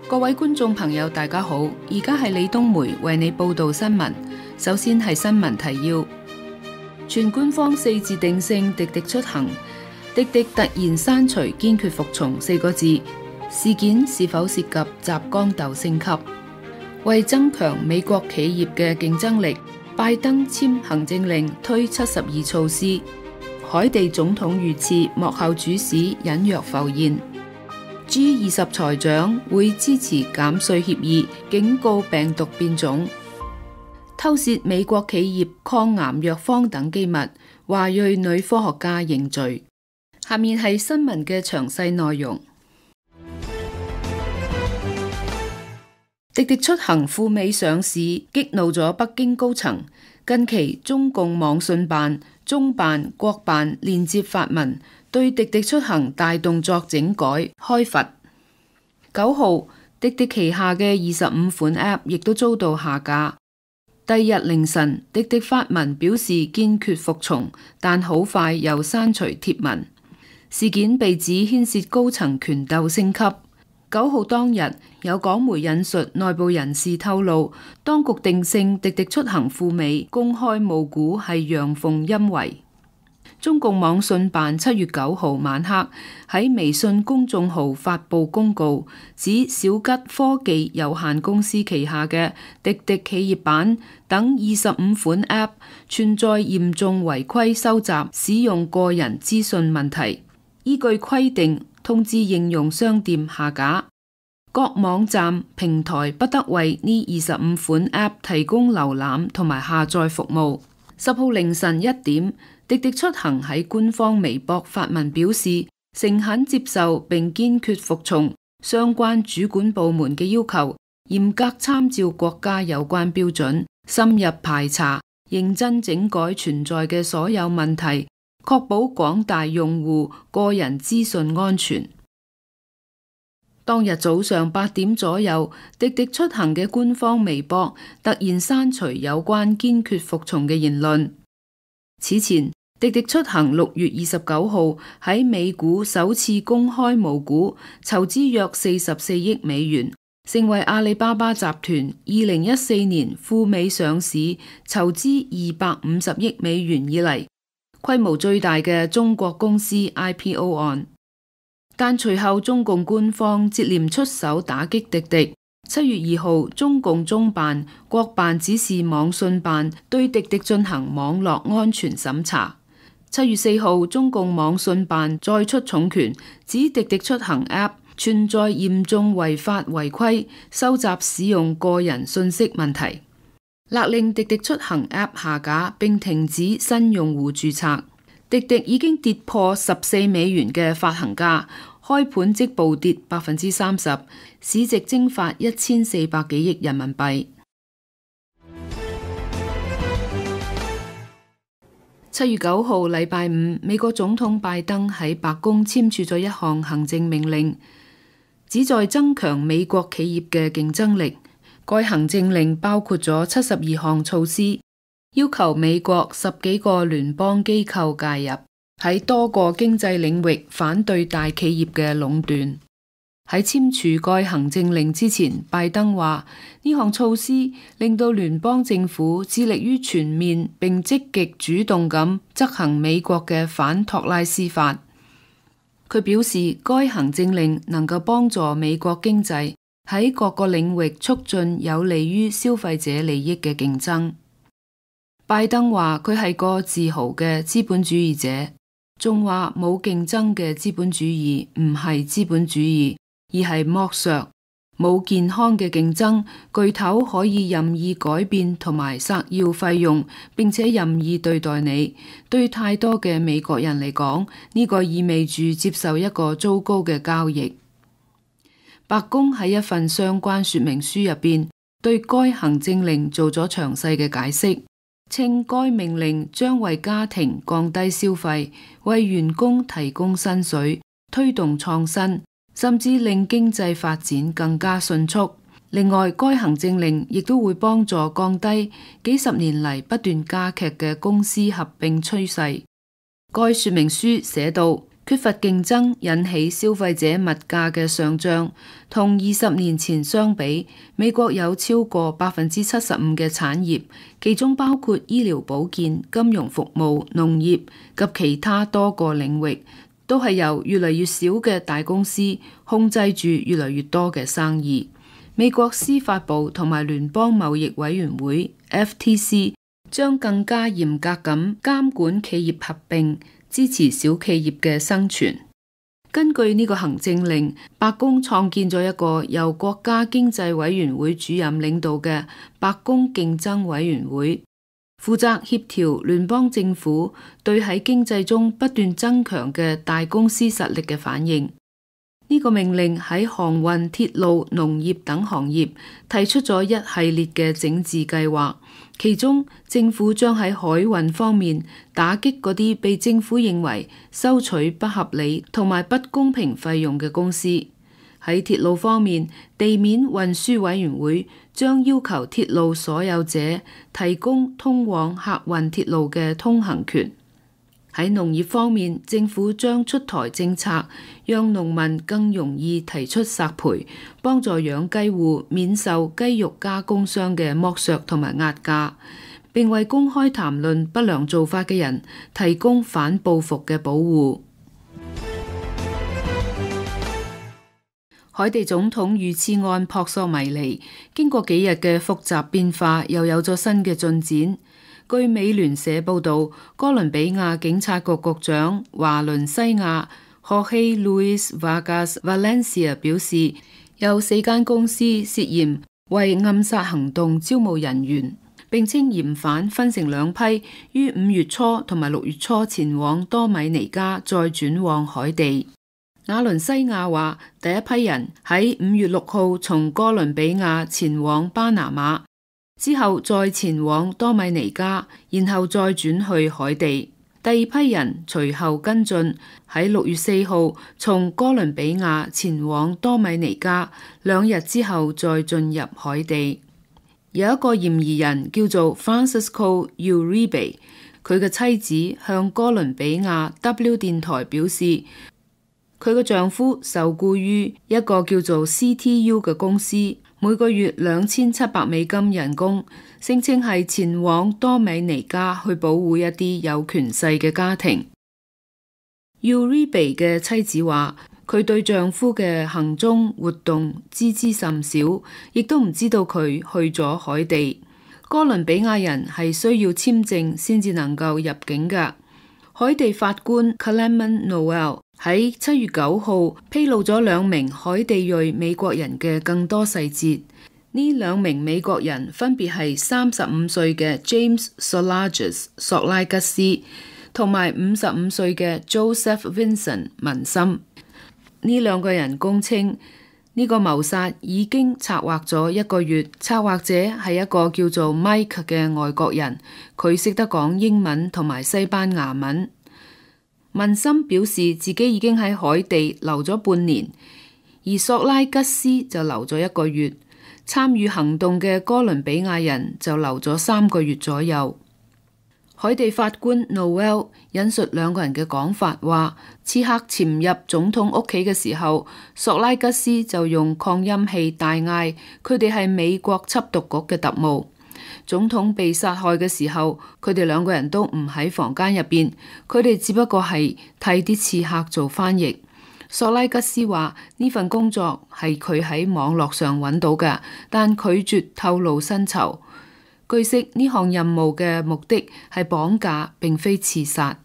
各位觀眾朋友，大家好！而家係李冬梅為你報道新聞。首先係新聞提要：全官方4字定性滴滴出行，滴滴突然刪除堅決服從4個字，事件是否涉及集江鬥升級？為增強美國企業嘅競爭力，拜登簽行政令推72措施。海地總統遇刺，幕後主使隱約浮現。G20財長會支持減稅協議，警告病毒變種。偷竊美國企業抗癌藥方等機密，華裔女科學家認罪。下面係新聞嘅詳細內容。滴滴出行赴美上市，激怒咗北京高層。近期中共網信辦、中辦、國辦連接發文，對滴滴出行大動作整改開罰。9號，滴滴旗下嘅25款 App 亦都遭到下架。第二日凌晨，滴滴發文表示堅決服從，但好快又刪除貼文。事件被指牽涉高層權鬥升級。9號當日，有港媒引述內部人士透露，當局定性滴滴出行赴美公開募股係陽奉陰違。中共網信辦7月9號晚黑喺微信公眾號發布公告，指小吉科技有限公司旗下嘅滴滴企業版等25款 App 存在嚴重違規收集、使用個人資訊問題，依據規定通知應用商店下架。各網站平台不得為呢25款 App 提供瀏覽同埋下載服務。10號凌晨1點，滴滴出行喺官方微博發文表示，誠懇接受並堅決服從相關主管部門嘅要求，嚴格參照國家有關標準，深入排查，認真整改存在嘅所有問題，確保廣大用戶個人資訊安全。當日早上8點左右，滴滴出行嘅官方微博突然刪除有關堅決服從嘅言論。此前，滴滴出行6月29號喺美股首次公開募股，籌資約44億美元，成為阿里巴巴集團2014年赴美上市籌資250億美元以嚟，規模最大嘅中國公司 IPO 案。但隨後中共官方接連出手打擊滴滴。7月2號，中共中辦、國辦指示網信辦對滴滴進行網絡安全審查。7月4號，中共網信辦再出重拳，指滴滴出行 App 存在嚴重違法違規、收集使用個人信息問題，勒令滴滴出行 App 下架並停止新用戶註冊。滴滴已經跌破14美元嘅發行價，開盤即暴跌30%，市值蒸發1400幾億人民幣。7月9號禮拜五，美國總統拜登喺白宮簽署咗一項行政命令，旨在增強美國企業嘅競爭力。該行政令包括咗72項措施，要求美國10幾個聯邦機構介入，喺多個經濟領域反對大企業嘅壟斷。喺簽署該行政令之前，拜登話呢項措施令到聯邦政府致力於全面並積極主動咁執行美國嘅反托拉斯法。佢表示，該行政令能夠幫助美國經濟喺各個領域促進有利於消費者利益嘅競爭。拜登話佢係個自豪嘅資本主義者，仲話冇競爭嘅資本主義唔係資本主義，而係剝削。冇健康嘅競爭，巨頭可以任意改變同埋索要費用，並且任意對待你。對太多嘅美國人嚟講，呢個意味住接受一個糟糕嘅交易。白宮喺一份相關說明書入邊，對該行政令做咗詳細嘅解釋。稱該命令將為家庭降低消費，為員工提供薪水，推動創新，甚至令經濟發展更加迅速。另外，該行政令亦都會幫助降低幾十年嚟不斷加劇嘅公司合併趨勢。該說明書寫道，缺乏競爭引起消費者物價嘅上漲，同20年前相比，美國有超過75%嘅產業，其中包括醫療保健、金融服務、農業及其他多個領域，都係由越嚟越少嘅大公司控制住越嚟越多嘅生意。美國司法部同埋聯邦貿易委員會 FTC 將更加嚴格咁監管企業合併，支持小企業嘅生存。根據呢個行政令，白宮創建咗一個由國家經濟委員會主任領導嘅白宮競爭委員會，負責協調聯邦政府對喺經濟中不斷增強嘅大公司實力嘅反應。呢個命令喺航運、鐵路、農業等行業提出咗一系列嘅整治計劃，其中政府將喺海運方面打擊嗰啲被政府認為收取不合理同埋不公平費用嘅公司。喺鐵路方面，地面運輸委員會將要求鐵路所有者提供通往客運鐵路嘅通行權。喺農業方面，政府將出台政策，讓農民更容易提出索賠，幫助養雞戶免受雞肉加工商嘅剝削同埋壓價，並為公開談論不良做法嘅人提供反報復嘅保護。海地總統遇刺案撲朔迷離，經過幾日嘅複雜變化，又有咗新嘅進展。據美聯社報道，哥倫比亞警察局局長華倫西亞荷希路易斯瓦加斯 Valencia 表示，有4間公司涉嫌為暗殺行動招募人員，並稱嫌犯分成2批，於5月初同埋6月初前往多米尼加，再轉往海地。瓦倫西亞話，第一批人喺5月6號從哥倫比亞前往巴拿馬，之後再前往多米尼加，然後再轉去海地。第二批人隨後跟進，喺6月4號從哥倫比亞前往多米尼加，2日之後再進入海地。有一個嫌疑人叫做 Francisco Uribe， 佢嘅妻子向哥倫比亞 W 電台表示，佢嘅丈夫受僱於一個叫做 CTU 嘅公司，每個月$2700人工，聲稱係前往多米尼加去保護一啲有權勢嘅家庭。Uribe 嘅妻子話，佢對丈夫嘅行蹤活動知之甚少，亦都唔知道佢去咗海地。哥倫比亞人係需要簽證先至能夠入境㗎。海地法官 Clement Noel 喺7月9號披露咗2名海地裔美國人嘅更多細節。呢2名美國人分別係35歲嘅 James Solages 索拉吉斯，同埋55歲嘅 Joseph Vincent 文森。呢2個人供稱，呢個謀殺已經策劃咗1個月，策劃者係一個叫做 Mike 嘅外國人，佢識得講英文同埋西班牙文。文森表示自己已經喺海地留咗半年，而索拉吉斯就留咗1個月。參與行動嘅哥倫比亞人就留咗3個月左右。海地法官 Noel 引述2個人嘅講法，話刺客潛入總統屋企嘅時候，索拉吉斯就用擴音器大嗌佢哋係美國緝毒局嘅特務。總統被殺害嘅時候，佢哋2個人都唔喺房間入邊，佢哋只不過係替啲刺客做翻譯。索拉吉斯話呢份工作係佢喺網絡上揾到嘅，但拒絕透露薪酬。據悉呢項任務嘅目的係綁架，並非刺殺。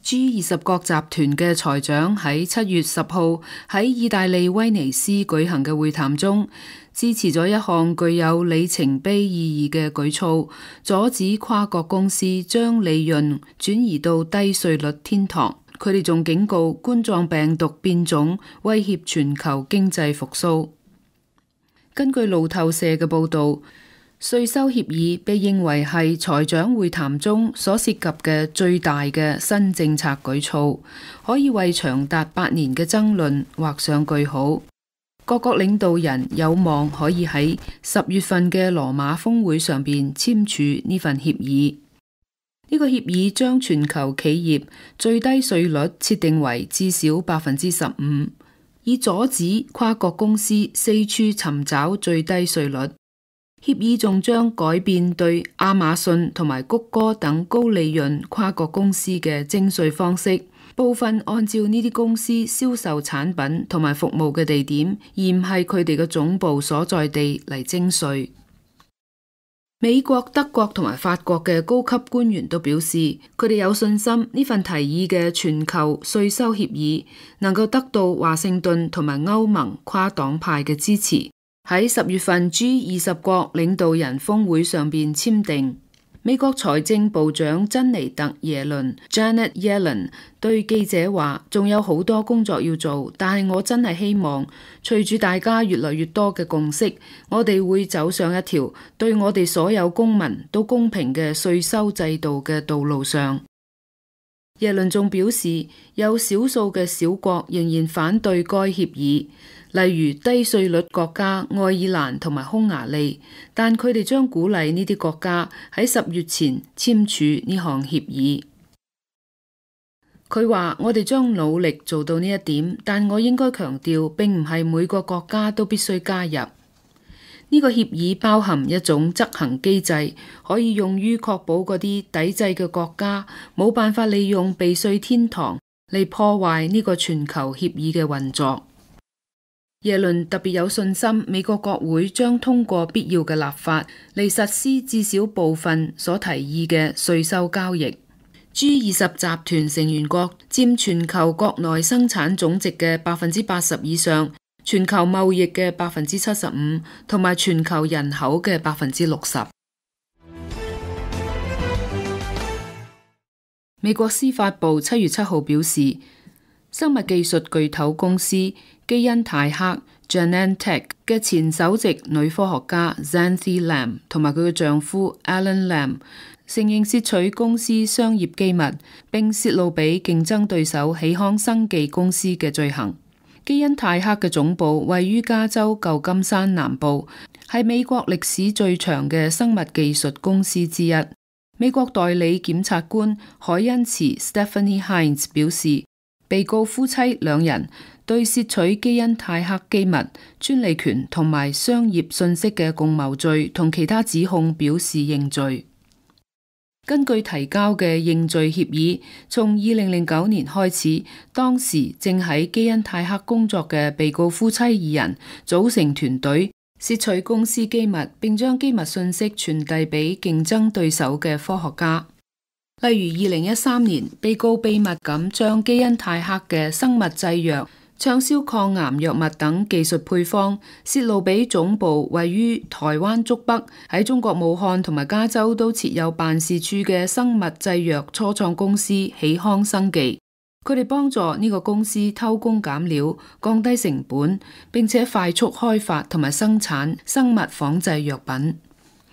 G20 國集團嘅財長喺7月10號喺意大利威尼斯舉行嘅會談中，支持咗一項具有里程碑意義嘅舉措，阻止跨國公司將利潤轉移到低稅率天堂。佢哋仲警告冠狀病毒變種威脅全球經濟復甦。根據路透社嘅報導，稅收協議被認為係財長會談中所涉及嘅最大嘅新政策舉措，可以為長達8年嘅爭論畫上句號。各國領導人有望可以喺10月份嘅羅馬峰會上邊簽署呢份協議。呢個協議將全球企業最低稅率設定為至少15%，以阻止跨國公司四處尋找最低稅率。協議仲將改變對亞馬遜同埋谷歌等高利潤跨國公司嘅徵稅方式，部分按照呢啲公司銷售產品同埋服務嘅地點，而唔係佢哋嘅總部所在地嚟徵稅。美國、德國同埋法國嘅高級官員都表示，佢哋有信心呢份提議嘅全球稅收協議能夠得到華盛頓同埋歐盟跨黨派嘅支持，喺10月份 G20 國領導人峰會上邊簽訂。美國財政部長珍妮特耶倫 Janet Yellen 對記者話，仲有好多工作要做，但係我真係希望隨住大家越來越多嘅共識，我哋會走上一條對我哋所有公民都公平嘅稅收制度嘅道路上。耶倫仲表示，有少數嘅小國仍然反對該協議，例如低稅率國家愛爾蘭同埋匈牙利，但佢哋將鼓勵呢啲國家喺10月前簽署呢項協議。佢話：我哋將努力做到呢一點，但我應該強調，並唔係每個國家都必須加入。呢個協議包含一種執行機制，可以用於確保嗰啲抵制嘅國家冇辦法利用避稅天堂嚟破壞呢個全球協議嘅運作。耶倫特別有信心，美國國會將通過必要嘅立法嚟實施至少部分所提議嘅稅收交易。G20 集團成員國佔全球國內生產總值嘅80%以上，全球貿易嘅75%，同埋全球人口嘅60%。美國司法部7月7號表示，生物技術巨頭公司基因泰克 Genentech 嘅前首席女科學家 Xanthi Lam 同埋佢嘅丈夫 Alan Lam 承認竊取公司商業機密，並泄露俾競爭對手喜康生技公司嘅罪行。基因泰克嘅總部位於加州舊金山南部，係美國歷史最長嘅生物技術公司之一。美國代理檢察官海恩茨 Stephanie Hines 表示，被告夫妻兩人對竊取基因泰克機密、專利權同埋商業信息嘅共謀罪同其他指控表示認罪。根據提交嘅認罪協議，從2009年開始，當時正喺基因泰克工作嘅被告夫妻2人組成團隊，竊取公司機密，並將機密信息傳遞俾競爭對手嘅科學家。例如2013年，被告秘密咁將基因泰克嘅生物製藥、暢銷抗癌藥物等技術配方泄露俾總部位於台灣竹北、喺中國武漢同埋加州都設有辦事處嘅生物製藥初創公司喜康生技。佢哋幫助呢個公司偷工減料，降低成本，並且快速開發同埋生產生物仿製藥品。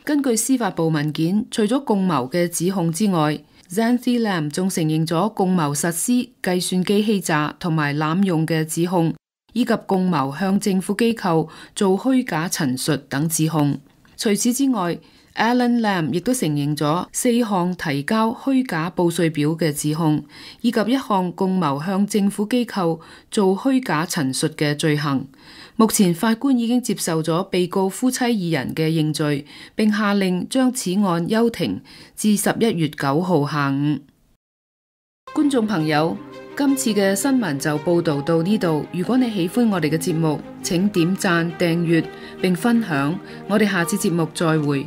根據司法部文件，除咗共謀嘅指控之外，Xanthi Lam 仲承認咗共謀實施計算機欺詐同埋濫用嘅指控，以及共謀向政府機構做虛假陳述等指控。除此之外，Alan Lam 亦都承認咗4項提交虛假報稅表嘅指控，以及1項共謀向政府機構做虛假陳述嘅罪行。目前法官已經接受咗被告夫妻2人嘅認罪，並下令將此案休庭至11月9號下午。觀眾朋友，今次嘅新聞就報道到呢度。如果你喜歡我哋嘅節目，請點讚、訂閱並分享。我哋下次節目再會。